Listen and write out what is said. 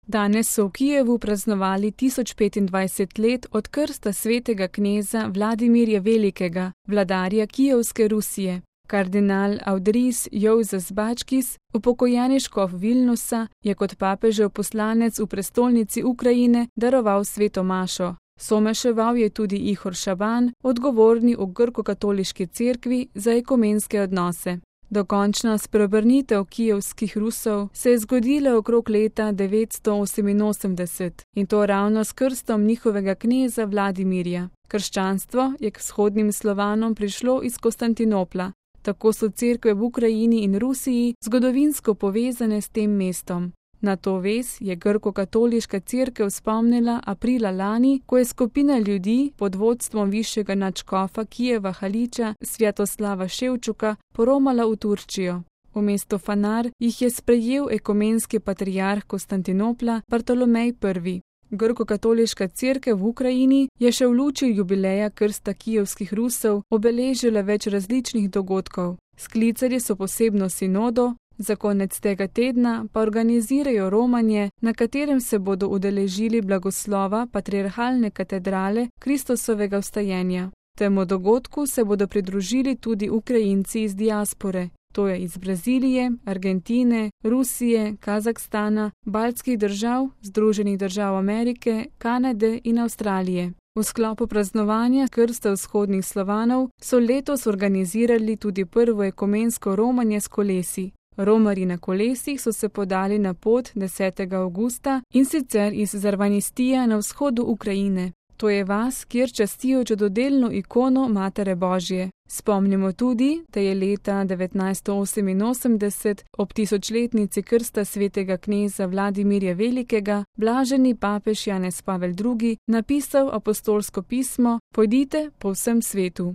Danes so v Kijevu praznovali 1025 let od krsta svetega kneza Vladimirja Velikega, vladarja Kijevske Rusije. Kardinal Audris Jouzas Bačkis, upokojeni škof Vilnusa, je kot papežev poslanec v prestolnici Ukrajine daroval sveto mašo. Someševal je tudi Ihor Šaban, odgovorni v grko-katoliški cerkvi za ekumenske odnose. Dokončna spreobrnitev kijevskih Rusov se je zgodila okrog leta 988 in to ravno s krstom njihovega kneza Vladimirja. Krščanstvo je k vzhodnim Slovanom prišlo iz Konstantinopla. Tako so cerkve v Ukrajini in Rusiji zgodovinsko povezane s tem mestom. Na to vez je grko-katoliška cerkev spomnila aprila lani, ko je skupina ljudi pod vodstvom višjega nadškofa Kijeva Haliča Svjatoslava Ševčuka poromala v Turčijo. V Fanar jih je sprejel ekumenski patriarh Konstantinopla Bartolomej I. Grko-katoliška cerkev v Ukrajini je še v luči jubileja krsta kijevskih Rusov obeležila več različnih dogodkov. Sklicali so posebno sinodo, za konec tega tedna pa organizirajo romanje, na katerem se bodo udeležili blagoslova patriarhalne katedrale Kristusovega vstajenja. Temu dogodku se bodo pridružili tudi Ukrajinci iz diaspore, to je iz Brazilije, Argentine, Rusije, Kazahstana, baltskih držav, Združenih držav Amerike, Kanade in Avstralije. V sklopu praznovanja krsta vzhodnih Slovanov so letos organizirali tudi prvo ekumensko romanje s kolesi. Romarji na kolesih so se podali na pot 10. avgusta in sicer iz Zarvanistija na vzhodu Ukrajine. To je vas, kjer častijo čudodelno ikono Matere Božje. Spomnimo tudi, da je leta 1988 ob tisočletnici krsta svetega kneza Vladimirja Velikega blaženi papež Janez Pavel II. Napisal apostolsko pismo Pojdite po vsem svetu.